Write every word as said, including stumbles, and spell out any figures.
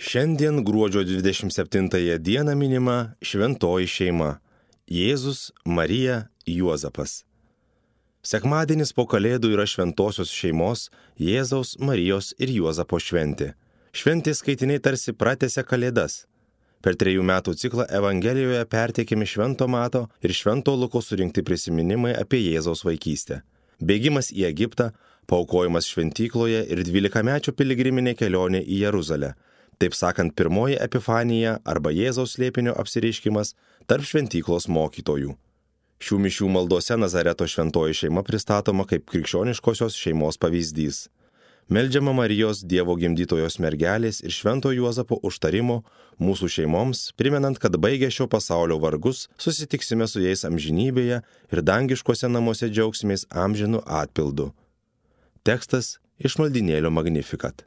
Šiandien gruodžio dvidešimt septintąją dieną minima šventoji šeima - Jėzus, Marija, Juozapas. Sekmadienis po Kalėdų yra šventosios šeimos Jėzaus, Marijos ir Juozapo šventė. Šventės skaitiniai tarsi pratęsia Kalėdas. Per trejų metų ciklą Evangelijoje perteikiami Švento Mato ir Švento Luko surinkti prisiminimai apie Jėzaus vaikystę. Bėgimas į Egiptą, paaukojimas šventykloje ir dvylikamečio piligriminė kelionė į Jeruzalę. Taip sakant, pirmoji epifanija arba Jėzaus slėpinio apsireiškimas tarp šventyklos mokytojų. Šių mišių maldose Nazareto šventoji šeima pristatoma kaip krikščioniškosios šeimos pavyzdys. Meldžiama Marijos Dievo gimdytojos mergelės ir Švento Juozapo užtarimo mūsų šeimoms, primenant, kad baigę šio pasaulio vargus, susitiksime su jais amžinybėje ir dangiškose namuose džiaugsimės amžinu atpildu. Tekstas iš maldynėlio Magnificat.